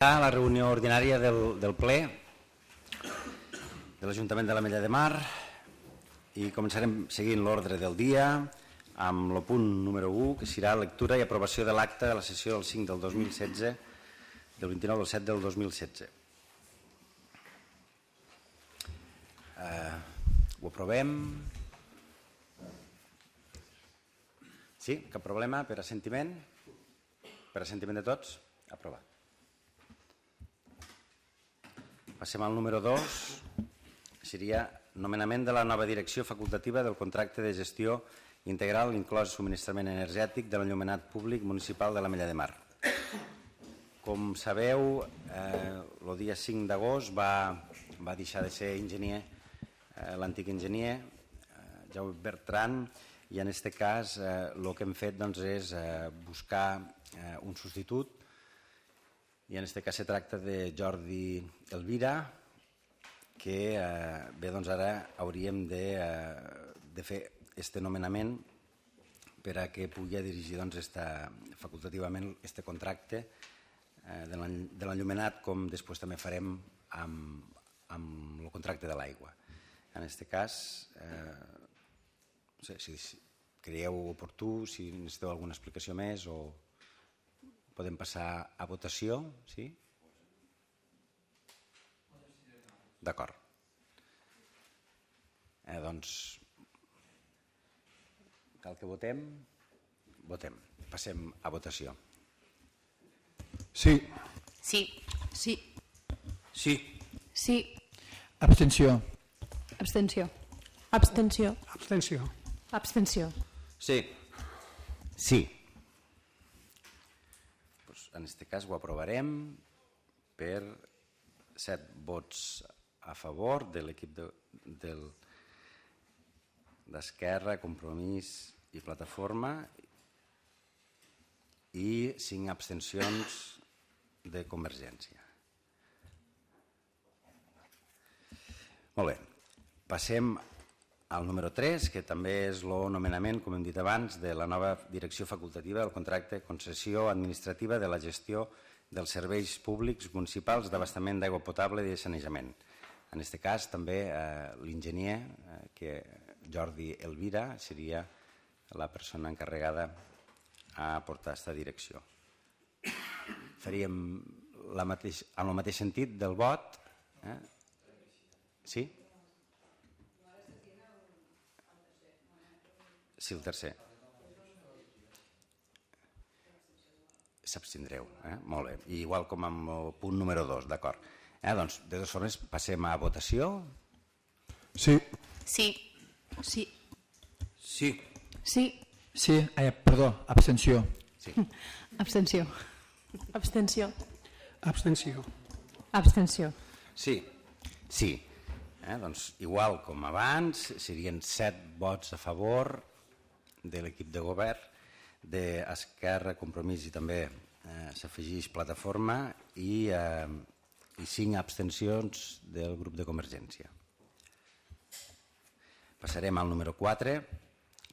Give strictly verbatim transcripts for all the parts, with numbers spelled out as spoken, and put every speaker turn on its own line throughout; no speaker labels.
La reunió ordinària del, del ple de l'Ajuntament de l'Ametlla de Mar i començarem seguint l'ordre del dia amb el punt número u, que serà lectura i aprovació de l'acte de la sessió del cinc del dos mil setze, del vint-i-nou del set del dos mil setze. Eh, ho aprovem? Sí? Cap problema? Per assentiment? Per assentiment de tots? Aprovat. Passem al número dos, seria nomenament de la nova direcció facultativa del contracte de gestió integral inclòs subministrament energètic de l'enllumenat públic municipal de l'Ametlla de Mar. Com sabeu, eh, el dia cinc d'agost va, va deixar de ser enginyer, eh, l'antic enginyer, eh, Jaume Bertran, i en aquest cas eh, el que hem fet doncs, és eh, buscar eh, un substitut. I en aquest cas se tracta de Jordi Elvira, que eh, bé, doncs ara hauríem de, eh, de fer aquest nomenament per a que pugui dirigir doncs, esta, facultativament aquest contracte eh, de l'enllumenat, com després també farem amb, amb el contracte de l'aigua. En aquest cas, eh, no sé, si creieu oportú, si necessiteu alguna explicació més o... Podem passar a votació, sí? D'acord. Eh, doncs, cal que votem? Votem. Passem a votació.
Sí.
Sí.
Sí.
Sí.
Sí.
Abstenció.
Abstenció.
Abstenció.
Abstenció.
Abstenció.
Sí. Sí. En aquest cas ho aprovarem per set vots a favor de l'equip de, del, d'Esquerra, Compromís i Plataforma i cinc abstencions de Convergència. Molt bé, passem al número tres, que també és el nomenament, com hem dit abans, de la nova direcció facultativa del contracte de concessió administrativa de la gestió dels serveis públics municipals d'abastament d'aigua potable i de sanejament. En aquest cas, també eh, l'enginyer, eh, que Jordi Elvira, seria la persona encarregada a portar aquesta direcció. Faríem la mateix, en el mateix sentit del vot. Eh? Sí? Sí, el tercer. S'abstindreu, eh? Molt bé. I igual com amb el punt número dos, d'acord. Eh, doncs, de totes formes, passem a votació.
Sí.
Sí.
Sí.
Sí.
Sí.
Sí, eh, perdó, abstenció.
Sí.
Abstenció.
Abstenció.
Abstenció.
Abstenció.
Sí. Sí. Eh, doncs, igual com abans, serien set vots a favor de l'equip de govern, d'Esquerra, Compromís i també eh, s'afegeix Plataforma i, eh, i cinc abstencions del grup de Convergència. Passarem al número quatre,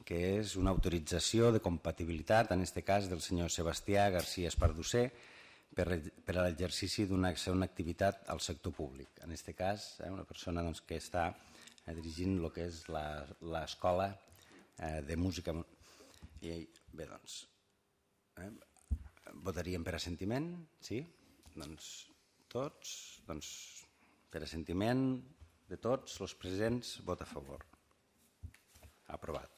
que és una autorització de compatibilitat, en aquest cas del senyor Sebastià García Esparducer, per, per a l'exercici d'una activitat al sector públic. En aquest cas, eh, una persona doncs, que està eh, dirigint el que és l'escola eh, de música. I bé, doncs, eh, votaríem per assentiment, sí? Doncs tots, doncs, per assentiment de tots, els presents, vot a favor. Aprovat.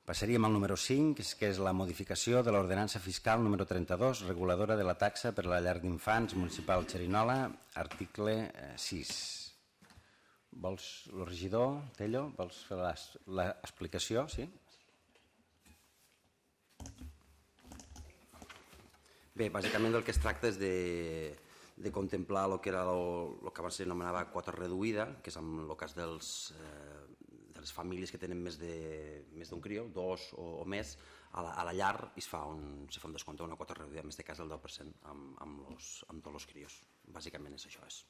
Passaríem al número cinc, que és la modificació de l'ordenança fiscal número trenta-dos, reguladora de la taxa per a la llar d'infants municipal Xerinola, article sis. Vols, el regidor, Tello, vols fer l'explicació? Sí?
Bé, bàsicament el que es tracta és de, de contemplar el que era el que abans s'anomenava quota reduïda, que és en el cas dels, eh, de les famílies que tenen més d'un crió, dos o, o més, a la, a la llar es fa un, se fa un descompte, una quota reduïda, en aquest cas el deu per cent amb, amb, los, amb tots els crios. Bàsicament és això. És.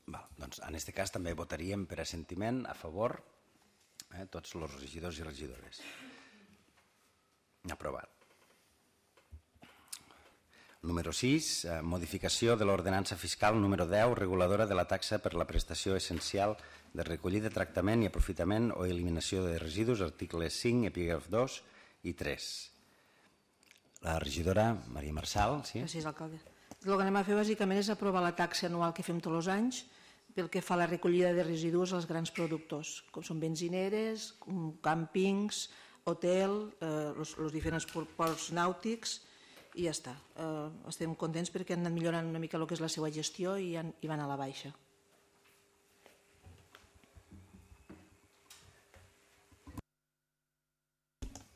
Val, doncs, en aquest cas també votaríem per assentiment a favor eh, tots els regidors i regidores. Aprovat. Número sis, eh, modificació de l'ordenança fiscal número deu, reguladora de la taxa per la prestació essencial de recollida, tractament i aprofitament o eliminació de residus, articles cinc, epígraf dos i tres. La regidora Maria Marçal. Sí?
Gràcies, alcalde. El que anem a fer bàsicament és aprovar la taxa anual que fem tots els anys pel que fa a la recollida de residus als grans productors, com són benzineres, càmpings, hotel, eh, els, els diferents ports nàutics, i ja està. Eh, estem contents perquè han anat millorant una mica el que és la seva gestió i, han, i van a la baixa.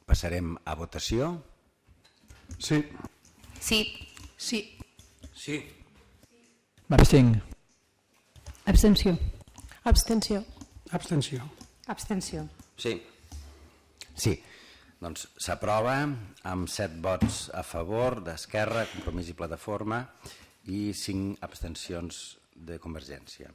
Passarem a votació.
Sí.
Sí.
Sí.
Sí. M'abstinc.
Abstenció.
Abstenció.
Abstenció.
Abstenció.
Sí.
Sí. Doncs s'aprova amb set vots a favor d'Esquerra, Compromís i Plataforma i cinc abstencions de Convergència.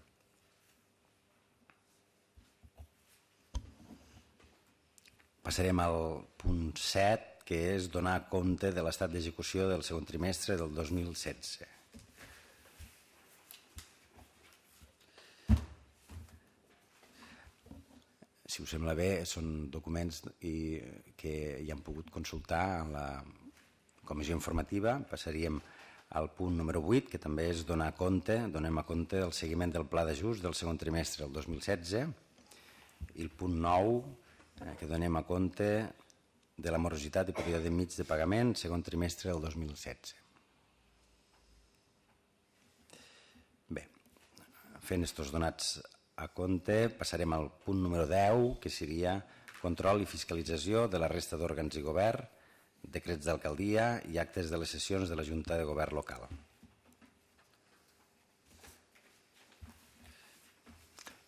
Passarem al punt set, que és donar compte de l'estat d'execució del segon trimestre del dos mil setze. Si us sembla bé, són documents i, que hi han pogut consultar en la comissió informativa. Passaríem al punt número vuit, que també és donar compte, donem a compte del seguiment del pla d'ajust del segon trimestre del dos mil setze, i el punt nou, eh, que donem a compte de la morositat i període mig de pagament segon trimestre del dos mil setze. Bé, fent estos donats a compte, passarem al punt número deu, que seria control i fiscalització de la resta d'òrgans i govern, decrets d'alcaldia i actes de les sessions de la Junta de Govern local.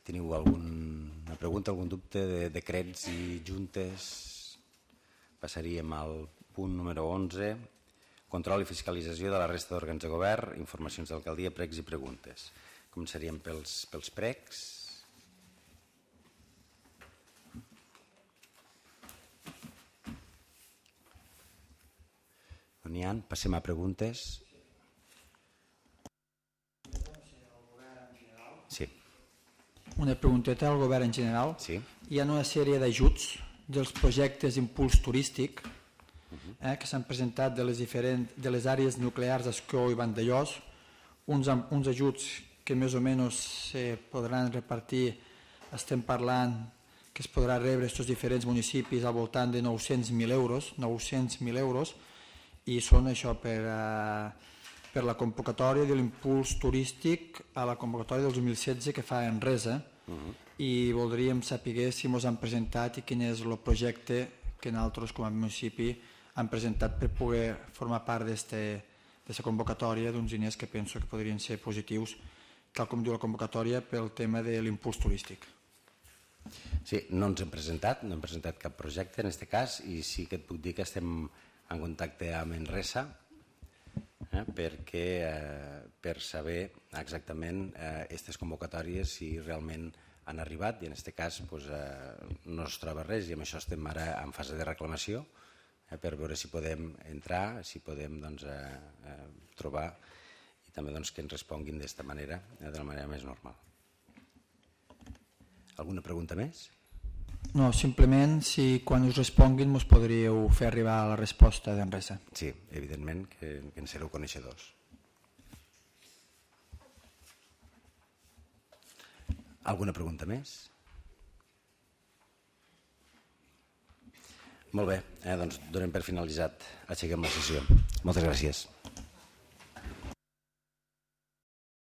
Teniu alguna pregunta, algun dubte de decrets i juntes? Passaríem al punt número onze, control i fiscalització de la resta d'òrgans de govern, informacions d'alcaldia, pregs i preguntes. Començaríem pels, pels pregs. No n'hi ha, passem a preguntes. Sí.
Una pregunteta al govern en general.
Sí.
Hi ha una sèrie d'ajuts dels projectes d'impuls turístic eh, que s'han presentat de les, diferents, de les àrees nuclears d'Escó i Vandellós, uns, uns ajuts que més o menys se podran repartir, estem parlant que es podrà rebre aquests diferents municipis al voltant de nou-cents mil euros, nou-cents mil euros, i són això per, eh, per la convocatòria de l'impuls turístic a la convocatòria del dos mil setze que fa Enresa, uh-huh. i voldríem saber si ens han presentat i quin és el projecte que nosaltres com a municipi han presentat per poder formar part d'aquesta convocatòria d'uns diners que penso que podrien ser positius, tal com diu la convocatòria, pel tema de l'impuls turístic.
Sí, no ens hem presentat, no hem presentat cap projecte en aquest cas, i sí que et puc dir que estem en contacte amb Enresa eh, perquè, eh, per saber exactament aquestes eh, convocatòries si realment han arribat, i en aquest cas pues, eh, no es troba res, i amb això estem ara en fase de reclamació eh, per veure si podem entrar, si podem doncs, eh, eh, trobar, i també doncs, que ens responguin d'esta manera, eh, de la manera més normal. Alguna pregunta més?
No, simplement si quan us responguin us podríeu fer arribar la resposta d'Enresa.
Sí, evidentment que, que en sereu coneixedors. Alguna pregunta més? Molt bé, eh, doncs donem per finalitzat. Aixequem la sessió. Moltes gràcies.